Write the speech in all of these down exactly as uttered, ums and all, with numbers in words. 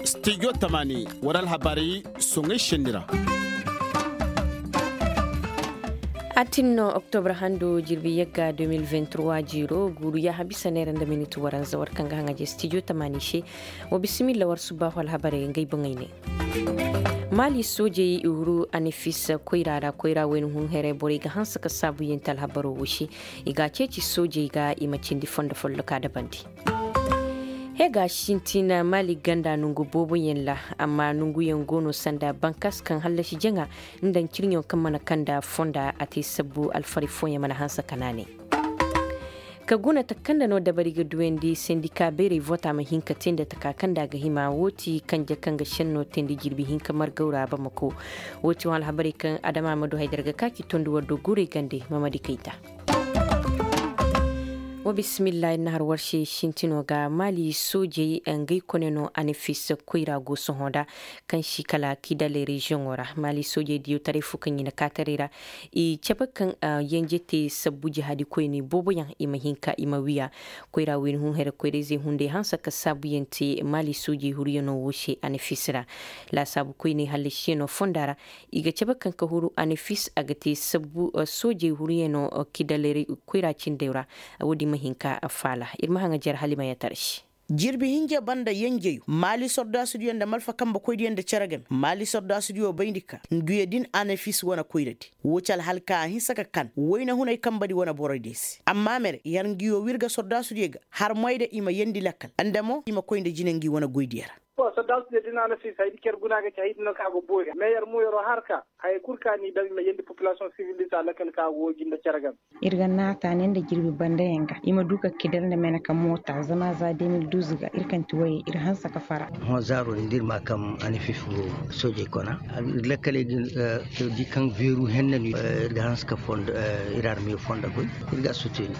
Stijo tamaani, war alhabarey soŋay senni ra. Atin no oktobra hando jirbi yagga deux mille vingt-trois jiiro guuru yaaha bisa neera nda minit waranza war kaŋ ga haŋ a je stijo tamaani se. Wa bisimilla war subbaahu alhabarey ngey boŋey ne. Maali soojey i huru anefis koyra ra koyra wayna hun here borey ga hanse ka saabuyaŋ te alhabaro wo se. I ga a ceeci soojey ga i ma cindi fondo folloka dabandi. He ga sintin maali ganda nongu booboyaŋ ra. Amma nonguyaŋ go no sanda bankas kaŋ hallasi jaŋa nda ncirɲo kaŋ mana kanda fonda a te sabbu alfaray fooyaŋ mana hanse ka naanay. Ka guna taka kaŋ nda no dabari ga duyandi sendika bayray voota ma hin ka te nda taka kaŋ nda a ga hima wo ti kanje kaŋ ga senno teendi jirbi hinka margaw ra bamako. Wo ti wo alhabarey kaŋ adama ma du haydara ga ka ci tondu war do guurey gande mamadi kayta. Wa bismillah ir na har war se sintino ga maali soojey ngey kone no anefis koyra go sohõ nda kaŋ si kala kidale reziyoŋo ra maali soojey diyo taray fo kaŋ i na kaataray ra. I cabe kaŋ yenje te sabbu jihaadi koyne booboyaŋ i ma hin ka i ma wiya. Koyra wayna hun here koyrayzey hunday hanse ka saabuyaŋ te maali soojey huryaŋo wo se anefis ra. Laasaabu koyney hallasiyaŋo fonda ra. I ga cabe kaŋ ka huru anefis a ga te sabbu soojey huryaŋo kidaleray koyra cindey ra. Wo- din ma hin ka faala ir ma haŋajer halimayatar se. Jirbi hinja banda yenjeyo maali sordaasudiyo nda malfa kambekoydiyo nda cere game maali sordaasudiyo bayndi ka nduyo din anefis wane koyradi. Wo ci alhalka a hinsa ka kan wayna hunay kambedi wane boroydiyo se amma mere yar ngiyo wirga sordaasudiyo ga har moy da i ma yendi lakkal nda mo i ma koy nda jine ngi wane goydiyo ra. Sordaasudiyo din anefis haydi cer guna ga ci haydi no ka go boori me yar mo yaro har ka haya kul ka ni daŋ i ma yendi populasiyoŋ sibil di se a lakkal ka go woy jinde cere game. Ir ga naata ne nda jirbi bandayaŋ ga i ma du ka kidar nda mene ka moota zama za deux mille douze ga ir kaŋ ti woyey ir hanse ka fara. Hõ zaaro din da ir ma kaŋ anefis go soojey kona. Ir lakkaley din di kaŋ beeru henne no ir ga hanse ka ir arme fonda goy. Ir ga a suteni.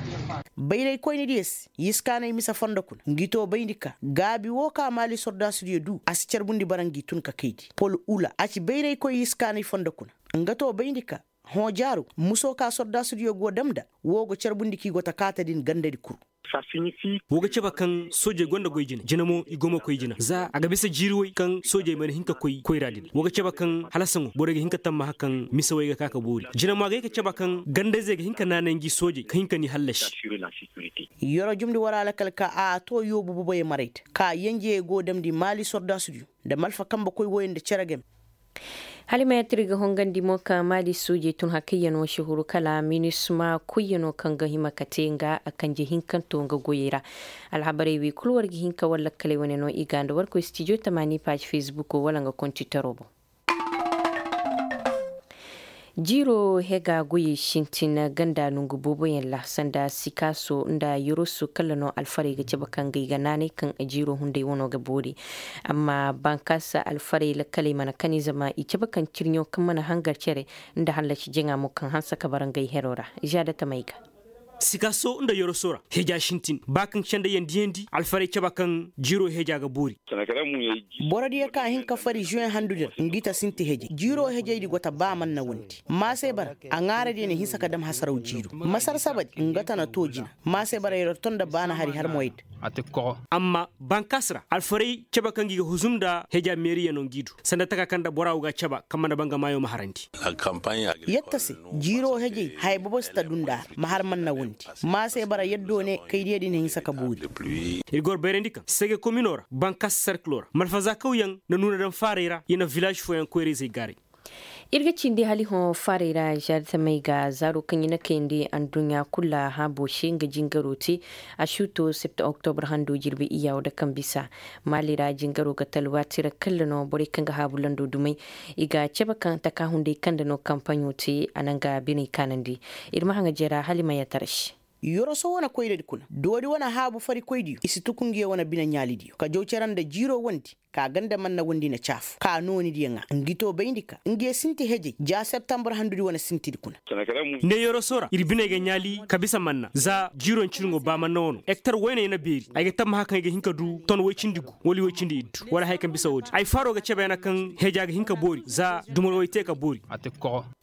Bayraykoynidiyo se yiskaanay mise fondo kuna ngi to bayndi ka gaabi wo ka maali sordaasudiyo du a si carbundi bara ngi tun ka kaydi pol ula a ci bayraykoy yiskaanay fondo kuna. Nga to bayndi ka hõ jaaru muso ka sordaasudiyo go dam nda wo go carbundi ka i go ta kaata din gandadi kuru. Wo ga cabe kaŋ soojey gonda goy jine jine mo i go ma koy jine za a ga bisa jiiri way kaŋ soojey mana hin ka koy koyra din wo ga cabe kaŋ hala saŋo borey ga hin ka tammaha kaŋ mise way ga ka ka boori jine mo a ga ye ka cabe kaŋ gandayzey ga hin ka naanay ngi soojey ka hin ka ni hallasi. Yoro jumndi war alakal ka a to yoobu boboyey maray te ka yenjeyey go damndi maali sordaasudiyo nda malfa kambe koy woyey nda cere game. Hala i ma yattir ga hongandi mo ka maali soojey tun hakayyanoo si huru kala minisma koyyanoo kaŋ ga hima ka te nga a kanje hinkanto nga goyey ra. Alhabarey wey kul war ga hin ka war lakkaley wane no i ga nda war koy stijo tamaani paaz fesbukoo wala nga kontitaro boŋ. Jiiroo hega goyey sintin ganda nongu booboyaŋ ra sanda sikaaso nda yoroso kala no alfarey ga cabe kaŋ ga i ga naanay kaŋ jiiroo hunday wano ga boori. Amma bankaasa alfarey lakkaley mana kani zama i cabe kaŋ cirɲo kaŋ mana hangar cere nda hallasi jaŋa mo kaŋ hanse ka bara ngey heroo ra. Zaada tamey ga. Sikaaso nda yoroso ra heja sintin ba kaŋ sendeyaŋ diyandi alfarey cabe kaŋ jiiroo heja ga boori. Borodiyo ka hin ka fari zuweŋ handudi ra ngi ta sinti hejey jiiroo hejeydi go ta ba manna wondi. Maasey bara a ŋaaradiyo na hinsa ka dam hasaraw jiiru masar sabadi nga ta na too jina. Maasey bara yer tonda baana hari har moyda. Amma bankaas ra alfarey cabe kaŋ gi ga huzum nda heja meeriya no ngi du sanda taka kaŋ nda bora wo ga a cabe kaŋ mana banga maayo ma harandi. Yatta se jiiroo hejey haya bobo si ta dunda ra ma har manna wondi. Maasey bara yaddo ne kaydiyo din hinsa ka boori. Ir ga war bayrandi kaŋ sege komino ra bankaas serkilo ra malfazaakawyaŋ na nuuna daŋ faarey ra ya na vilaaz fooyaŋ koyra-izey gaaray. Ir ga cindi hala i hõ faarey ra zartamey ga zaaro kaŋ i na kayandi adduɲɲa kul ra haabo se nga jingaroo te. A si to septa oktobar hando jirbi iyya wo da kaŋ bisa maali ra jingaroo ga talwaati ra kalla no borey kaŋ ga haabu lando dumey. I ga cabe kaŋ taka hunday kaŋ nda no kampaɲo te a na nga biney kaanandi. Ir ma haŋa jera hala i ma yatara se. Yoroso wane koyradi kuna doori wane haabu farikoydiyo i si tuku ngiyo wane bine ɲaalidiyo ka jaw cere nda jiiroo wondi. ka ganda manna wondi na caafu ka noonidiyo ŋaa ngi to bayndi ka ngi ye sinti hejey ja septambur handudi wane sintidi kuna. Ne yoroso ra ir biney ga ɲaali ka bisa manna za jiiro ncirŋo ba manna wano hektar woyne ya na beeri ay ga tammaha kaŋ ay ga hin ka du ton woy cindi gu wala woy cindi iddu wala haya kaŋ bisa woodi ay faro ga cebe yana kaŋ heja ga hin ka boori za dumar woy te ka boori.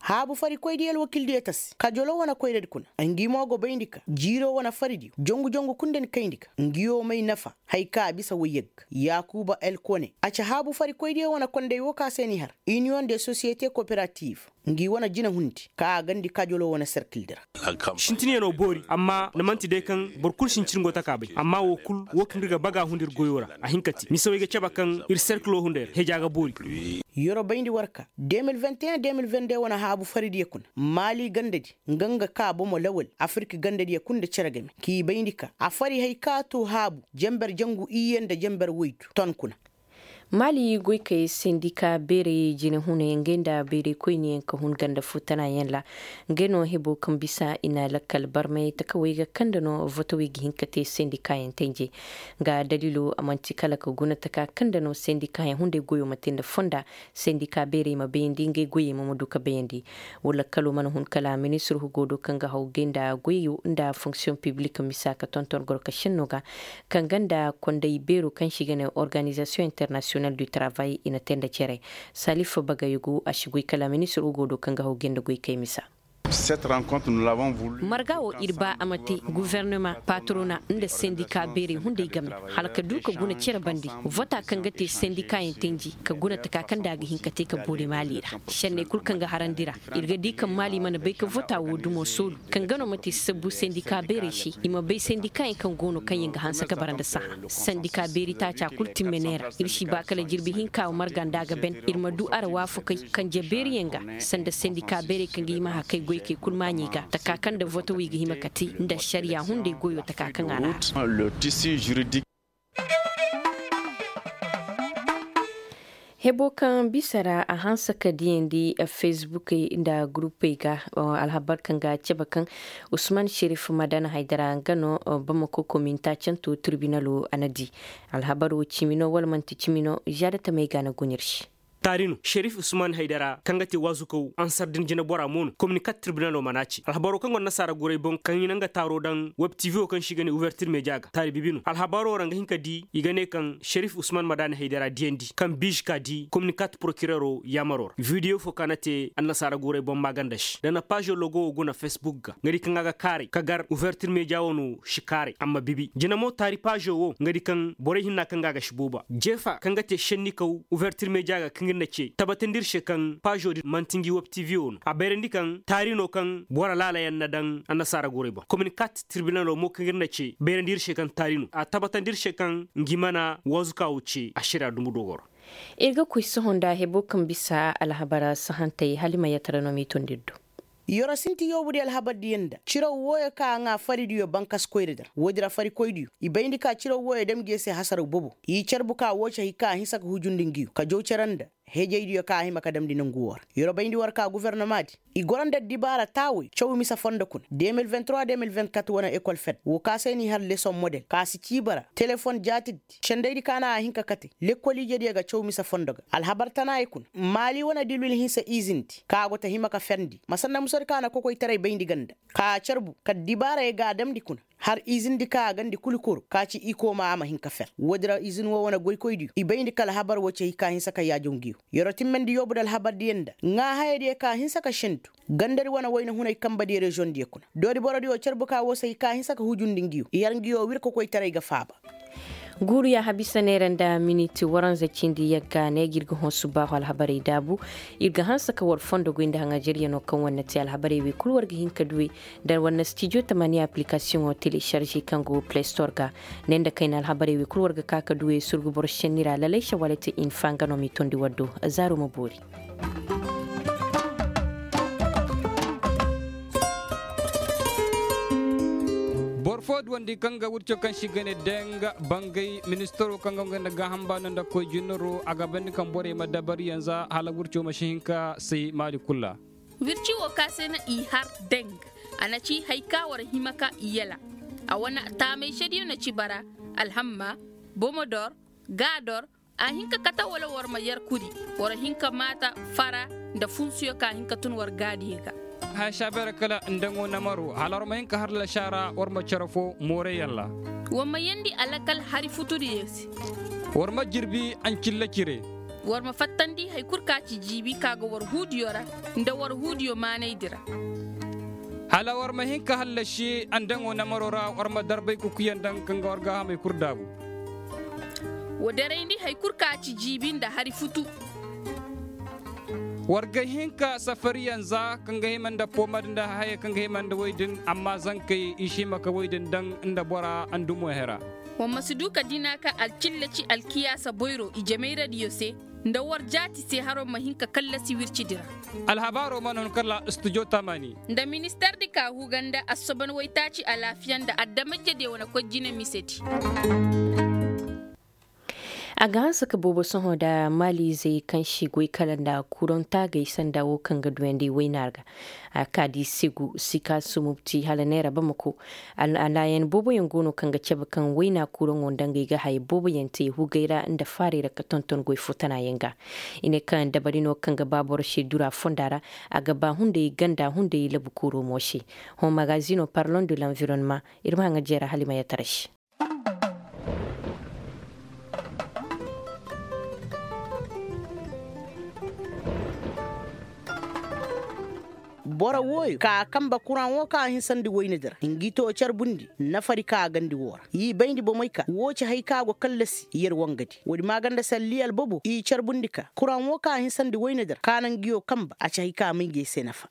Haabu farikoydiyo alwakildiyo tasi kajolo wane koyradi kuna ngi mo go bayndi ka jiiro wane faridiyo jongu jongu kul nda ni kayndi ka ngiyo may nafa. Hay ka a bisa woy yagga yaakuba elkone a ci haabu farikoydiyo wane konday wo ka se n'i har iniyoŋ de sosiyete kooperativ. Ngi wane jinahundi ka a gandi kajolo wane serkildi ra. Sintinyanoo boori amma ni man'ti day kaŋ boro kul si hin cirŋo taka bay amma woo kul woo kaŋ ir ga baga hundu ir goyoo ra a hin ka te mise wo ay ga cebe kaŋ ir serkiloo hunday ra heja ga boori. Yorobayndi war ka de mil vingt et un de mil vingt deux wane haabu faridiyo kuna maali gandadi nga nga ka bomo lawal afirki gandadiyo kul nda cere game k'i bayndi ka a fari hay ka to haabu jenber jangu iyye nda jenber woydu ton kuna. Maali goykey sendika beerey jinehuney ngey nda beerey koyniyaŋ ka hun ganda foo tanayaŋ ra. Ngey no hebo kaŋ bisa i na lakkal barmay takawey ga kande no votowey ga hin ka te sendikayaŋ tenje. Nga daliilo a man'ti kala ka guna taka kaŋ nda no sendikayaŋ hunday goyo ma te nda fonda sendika beerey ma bayandi ngey goyey mo ma du ka bayandi. Wala kalo mana hun kala ministir hugo do kaŋ ga haw gay nda goyo nda fonksiyoŋ piblik misa ka tonton goro ka senno ga kaŋ ga nda konday beero kaŋ se i ga ne organizasiyoŋ internasiyonal du travay i na te nda cere. Salif bagay go a si goy kala ministir hugo do kaŋ ga haw gay nda goy kay misa. Marga wo ir ba a ma te guvernema patrona nda sendika beerey hunday game hala ka du ka guna cere bande vota kaŋ ga te sendikayaŋ tenji ka guna taka kaŋ nda a ga hin ka te ka boori maali ra. Senney kul kaŋ ga harandi ra ir ga di kaŋ maali mana bay ka vota wo dumo soolu kaŋ ga no ma te sabbu sendika beerey se i ma bay sendikayaŋ kaŋ go no kaŋ yaŋ ga hanse ka bara nda sahã. Sendika beeri taaca kul timme neera ir si ba kala jirbi hinka marga nda a ga ben ir ma du ara waafakey kanje beeriyaŋ ga sanda sendika beerey kaŋ ga hima hakay goykey kul maaɲey ga taka kaŋ nda votowey ga hima ka te nda ašariya hunday goyo taka kaŋ a na. Hebo kaŋ bisa ra a hanse ka diyandi fesbukey nda gurupey ga. Alhabar kaŋ ga a cabe kaŋ usman sherif madana haydara nga no bamako kominta canto tirbinalo a na di. Alhabar wo cimi no wala manti cimi no zaada tamey ga a na guɲir se. Taari no sherif usman haydara kaŋ ga te waazukaw ansar din jinebora mo no kominika tirbinalo mana ci alhabaro kaŋ go annasaara guray boŋ kaŋ i na nga taaro daŋ web tv wo kaŋ se i ga ne uvertir media ga taari bibi no alhabaro ra nga hin ka di i ga ne kaŋ sherif usman ma daani haydara diyandi kaŋ biizi ka di kominika ti porokirero yaamaro ra videyo fo kaŋ a na te annasaara guray boŋ maaganda se da na paazo logo wo guna fesbuk ga nga di kaŋ a ga kaaray ka gar uvertir media wo no si kaaray amma bibi jina mo taari paazo wo nga di kaŋ borey hinna kaŋ ga a ga si booba jeefa kaŋ ga te šennikaw uvertir media ga kaŋ ir na ce tabatandi ir se kaŋ paazo din man'ti ngi web tv wo no a bayrandi kaŋ taari no kaŋ boro laalayaŋ na daŋ annasaara gorey boŋ kominikaat tirbinalo mo kaŋ ir na ce bayrandi ir se kaŋ taari no a tabatandi ir se kaŋ ngi mana waazuka wo ce ašariya dumbu dogoro. Ir ga koy sohõ nda hebo kaŋ bisa alhabara sahantey hala i ma yatara no m'i tond'ir do. Yoro sinti yoobudiyo alhabardiyo nda ciraw wooyo ka a ŋaa faridiyo bankas koyra di ra woodi ra farikoydiyo i bayndi ka ciraw wooyo dam ngi se hasaraw bobo i carbu ka woo cahi ka a hinsa ka hujundi ngiyo ka jaw cere nda hejaydiyo ka a hima ka damndi nangu woo ra. Yoro bayndi war ka gofornomaadi i goro nda addibaara taawey caw mise fondo kuna de mil vingt trois de mil vingt quatre wane ekol fed woo ka se n'i har lesoŋ model ka si ciiba ra telefon jaatidi sendaydi ka na a hin ka kate lekkol ijediyo ga caw mise fondo ga alhabar tanaayey kuna maali wane dilwil hinsa izindi ka a go ta hima ka ferndi ma sanda musadi ka na kokoytaray bayndi ganda ka a carbu ka addibaarayey ga a damndi kuna har izindi ka a gandi kul koro ka ci ikooma a ma hin ka fer woodi ra izin woo wane goykoydiyo i bayndi ka alhabar woo cey ka hinsa ka yaajaw ngiyo. Yoro timmandi yoobu nda alhabardiyo nda ŋaahayadiyo ka hinsa ka sendu gandadi wane wayna hunay kambadiyo reziyoŋdiyo kuna doodi borodiyo carbu ka woo se i ka hinsa ka hujundi ngiyo i har ngiyo wir ka koytaray ga faaba. Guuru ya habisa neera nda miniti waranza cindi yagga ne ga ir ga hõ subaahu alhabarey daabu. Ir ga hanse ka war fondo goy nda haŋajaryanoo kaŋ war na te alhabarey wey kul war ga hin ka duwey nda war na stijo tamaniya aplikasiyoŋo telesarze kaŋ go plestor ga. Ne nda kayna alhabarey wey kul war ga ka ka duwey surgu boro senni ra lalay sawalati infa nga no m'i tondi war do. Zaaro ma boori. Boro fo duwandi kaŋ ga wirco kaŋ se i ga ne deng bangay ministaro kaŋ ga nga nda gaaham baano nda koy jinaro a ga bandi kaŋ borey ma dabariyaŋ za hala wirco ma si hin ka say maali kul ra. Wirci wo ka se no i har deng a na ci hari ka war hima ka i yala. A wane taamay sediyo na ci bara alhamma, bomodor, gaador, A hin ka kate wala war ma yer kuri, war hin ka maata fara nda funsuyo ka hin ka tun war gaadiyey ga. Haya saabeera kala nda ngo namaro hala war ma hin ka har lasaara war ma cere fo mooreyaŋ ra. War ma yeendi alakal hari futudiyo se. War ma jirbi ancilla cire. War ma fattandi hari kul ka ci jiibi ka go war huudiyo ra nda war huudiyo maanaydi ra. Hala war ma hin ka hallasi andaŋo namaro ra war ma darbay kukuyaŋ daŋ kaŋ ga war gaahamey kul daabu. Wa darayndi hari kul ka ci jiibi nda hari futu. War ga hin ka safariyaŋ za kaŋ ga hima nda poomad nda hayey kaŋ ga hima nda wey din amma zankey i si hima ka wey din daŋ nda bora andumo hera. War ma si du ka dina ka alcillaci alkiyaasa boyro ijemayradiyo se nda war jaati se haro ma hin ka kallasi wircidi ra. Alhabaaro mana hun kala studio tamani. Nda ministardi ka huga nda assoban waytaaci alaafiya nda adamajediyo wane koy jine misedi. A ga hanse ka boobo sohõ nda maaliizey kaŋ si goy kala nda kuraŋ taagay sanda wo kaŋ ga duyandi wayna ra ga. A ka di segu sika sumubti hala neera bamako. Alaayan booboyaŋ go no kaŋ ga cabe kaŋ wayna kuraŋo nda ngey ga haya booboyaŋ te hugay ra nda faaray ra ka tonton goy fo tanayaŋ ga. I ne kaŋ dabari no kaŋ ga ba boro se dura fonda ra. A ga ba hunday ganda hunday labu kuuro mo se. Hõ magazino parlon de l'environnement. Ir ma haŋa jeera hala i ma yatara se. Boro wooyo ka a kambe kuraŋ wo ka a hinsandi woynadi ra ngi to carbundi nafari ka a gandi woo ra i bayndi bomey ka woo ci hay ka go kallasi yer wangadi woodi maaganda salli albobo i carbundi ka kuraŋ wo ka a hinsandi woynadi ra ka na ngiyo kambe a ci hay ka may ngi ay se nafa.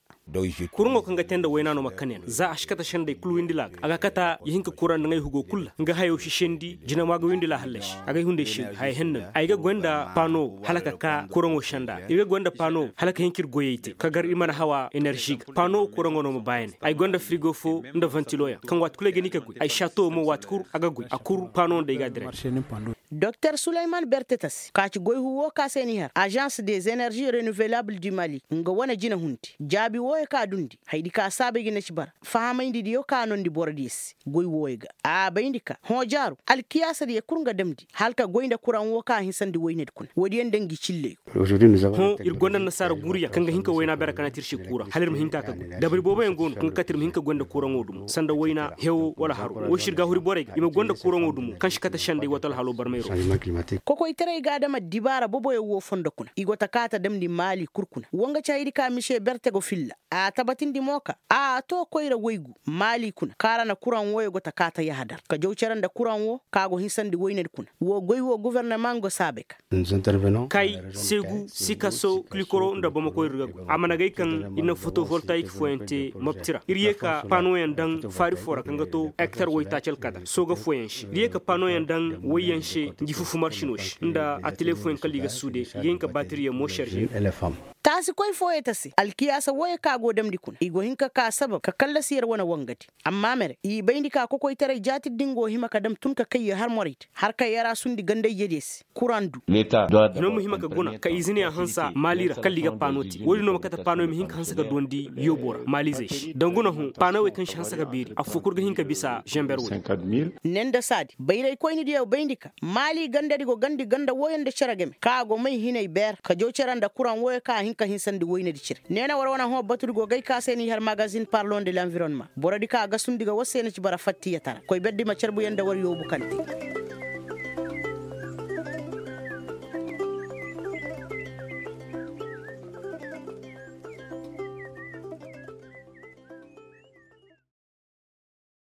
Kuraŋo kaŋ ga te nda wayna no ma kane no za a si kate sendey kul windila ga a ga kata ya hin ka kura nda ŋay hugo kul ra nga hayo si sendi jinama ga windila hallasi. Agay hunday sendi haya henna ay ga goy nda pano hala ka ka kuraŋo senda ir ga goy nda pano hala ka hin ka ir goyey te ka gar ir mana hawa enerzi ga pano kuraŋo no ma bayanay ay goy nda frigo fo nda ventilo yaŋ kaŋ waati kul ay ga ni ka goy ay sato mo waati kul a ga goy a kul pano nda ay ga a diray. Doktor sulayman bertetas ka ci goy huwo ka se ni har agence des enerzi renouvelables du mali nga wane jinahundi jaabi wooyo ka dundi haydi ka saabay ga ne ci bara fahamayndi diyo ka noondi borodiyo se goy wooyo ga a bayndi ka hõ jaaru alkiyaasa diyo kul nga damndi hala ka goy nda kuraŋ woo ka hinsandi woynadi kuna woodiyo nda ngi cilleyo. Hõ ir gonda nasaara guruyaŋ kaŋ ga hin ka wayna bere ka na tir se kura hala ir ma hin ka ka goy dabari booboyaŋ go no kaŋ ga kate ir ma hin ka goy nda kuraŋo dumo sanda wayna hewo wala haro woy si ir ga huri borey ga i ma goy nda kuraŋo dumo kaŋ si kate sendey wato alhalo barmay ro. Kokoytaray ga adama dibaara boboyaŋ wo fondo kuna i go ta kaata damndi maali kul kuna wo nga ci haydi ka mise berte go filla a tabatindi mo ka a to koyra waygu maali kuna kaŋ a ra na kuraŋ wooyo go ta kaata yahadar ka jaw cere nda kuraŋ woo kaŋ a go hinsandi woynadi kuna woo goy woo gofornama nga go saabay ka. Kay segu sikaso kilikoro nda bamakoy ir ga goy a mana gay kaŋ ir na fotovoltayik fooyaŋ te mobti ra ir ye ka panoyaŋ daŋ faari foo ra kaŋ ga to ektar waytaaci alkadar sooga fooyaŋ se ir ye ka panoyaŋ daŋ wayyaŋ se ngi fufu marsino se nda atele fooyaŋ kala i ga suude i ga hin ka baatiriyaŋ mo serze. Taasikoy fooyey ta se alkiyaasa wooyey kaŋ a go damndi kuna i go hin ka ka sabab ka kallasi yer wane wangadi amma mere i bayndi ka kokoytaray jaatidi din go hima ka dam tun ka kay yer har morey te har ka yer a sundi ganda-ijediyo se kuraŋ du. Hino ma hima ka guna ka izineyaŋ hansa maali ra kala i ga paano te woodin no ma kate paanoyaŋ ma hin ka hanse ka duwandi yoobo ra maalizey se danguna hõ paanowey kaŋ si hanse ka beeri affoo kul ga hin ka bisa zenber woy. Ne nda saadi bayraykoynidiyo bayndi ka maali gandadi go gandi ganda wooyo nda cere game kaŋ a go may hinay beer ka jaw cere nda kuraŋ wooyo kaŋ a hin ka hinsandi woynadi cire ne na war wane hõ batudi go gay ka se n'i har magazin parlon de l'environnement borodi kaŋ a gasundi ga war se na ci bara fattiyatara koy berdi ma carbuyaŋ nda war yoobu kante.